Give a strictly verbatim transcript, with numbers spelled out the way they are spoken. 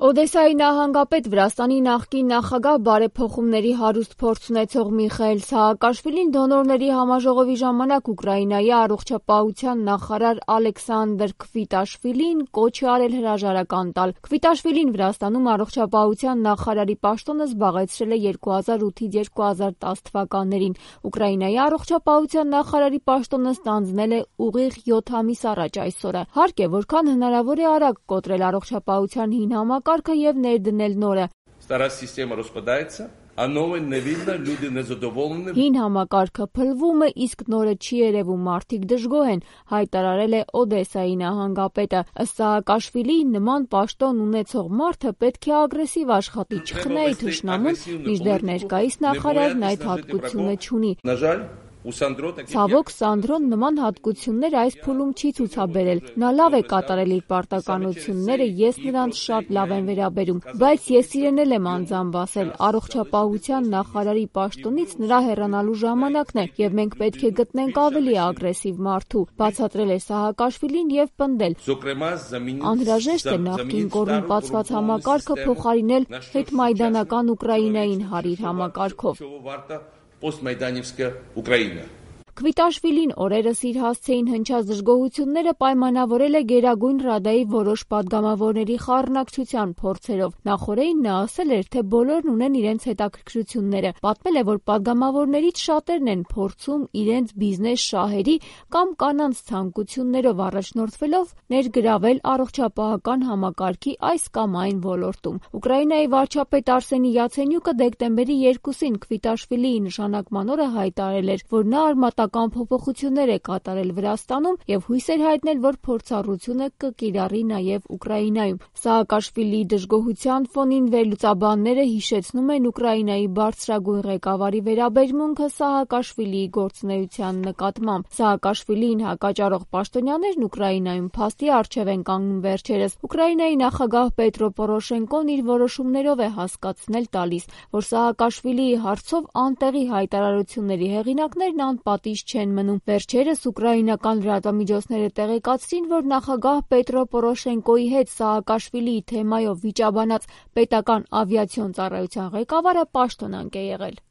Օդեսայի նահանգապետ Վրաստանի նախկին նախագահ բարեփոխումների հարուստ փորձ ունեցող Միխայիլ Սահակաշվիլին դոնորների համաժողովի ժամանակ Ուկրաինայի առողջապահության նախարար Ալեքսանդր Քվիտաշվիլին կոչ է արել հրաժարական տալ։ Քվիտաշվիլին Վրաստանում առողջապահության նախարարի պաշտոնը զբաղեցրել է երկու հազար ութից երկու հազար տաս թվականներին։ Ուկրաինայի առողջապահության նախարարի պաշտոնը ստանձնել է ուղիղ յոթ ամիս առաջ այսօրը։ Հարկ է, որքան հնարավոր է արագ կոտրել առողջապահության հին համակարգը եւ ներդնել նորը։ Հին համակարգը փլվում է, իսկ նորը չի երևում, մարդիկ դժգոհ են, հայտարարել է Օդեսայի նահանգապետը։ Ըստ Սահակաշվիլիի, նման պաշտոն ունեցող մարդը պետք է ագրեսիվ աշխատի, չխնայի թշնամուն, մինչդեռ ներկայիս նախարարն այդ հատկությունը չունի։ Ցավոք, Սանդրոն նման հատկություններ այս փուլում չի ցուցաբերել։ Նա լավ է կատարել իր պարտականությունները, ես նրանց շատ լավ եմ վերաբերում, բայց ես իրեն էլ եմ անձամբ ասել, առողջապահության նախարարի պաշտոնից նրա հեռանալու ժամանակն է, եւ մենք պետք է գտնենք ավելի ագրեսիվ մարդու, բացատրել է Սահակաշվիլին եւ պնդել. Անհրաժեշտ է նախկին կոռումպացված համակարգը փոխարինել հետմայդանական Ուկրաինային հարիր համակարգով։ Постмайданівська Україна. Քվիտաշվիլին օրերս իր հասցեին հնչած դժգոհությունները պայմանավորել է Գերագույն Ռադայի որոշ պատգամավորների խառնակցության փորձերով։ Նախորդին նա ասել էր, թե բոլորն ունեն իրենց հետաքրքրությունները։ Պատմել է, որ պատգամավորներից շատերն են փորձում իրենց բիզնես շահերի կամ կանանց ցանկություններով առաջնորդվելով ներգրավել առողջապահական համակարգի այս կամ այն ոլորտում։ Ուկրաինայի վարչապետ Արսենի Յացենյուկը դեկտեմբերի երկուսին Քվիտաշվիլիի նշանակման օրը հայտարարել էր, որ նա արմատական փոփոխություններ է կատարել Վրաստանում եւ հույս էր հայտնել, որ փորձառությունը կկիրառի նաեւ Ուկրաինայում։ Սահակաշվիլիի դժգոհության ֆոնին վերլուծաբանները հիշեցնում են Ուկրաինայի բարձրագույն ղեկավարի վերաբերմունքը Սահակաշվիլիի գործունեության նկատմամբ։ Սահակաշվիլիին հակաճառող պաշտոնյաներն Ուկրաինայում փաստի առջև են կանգնում վերջերս։ Ուկրաինայի նախագահ Պետրո Պորոշենկոն իր որոշումներով է հասկացնել տալիս, որ Սահակաշվիլիի հարցով անտեղի հայտարարությունների հեղինակներն անպատիժ չեն մնում։ Վերջերս ուկրաինական լրատվամիջոցները տեղեկացրին, որ նախագահ Պետրո Պորոշենկոյի հետ Սահակաշվիլիի թեմայով վիճաբանած պետական ավիացիոն ծառայության ղեկավարը պաշտոնանկ է եղել։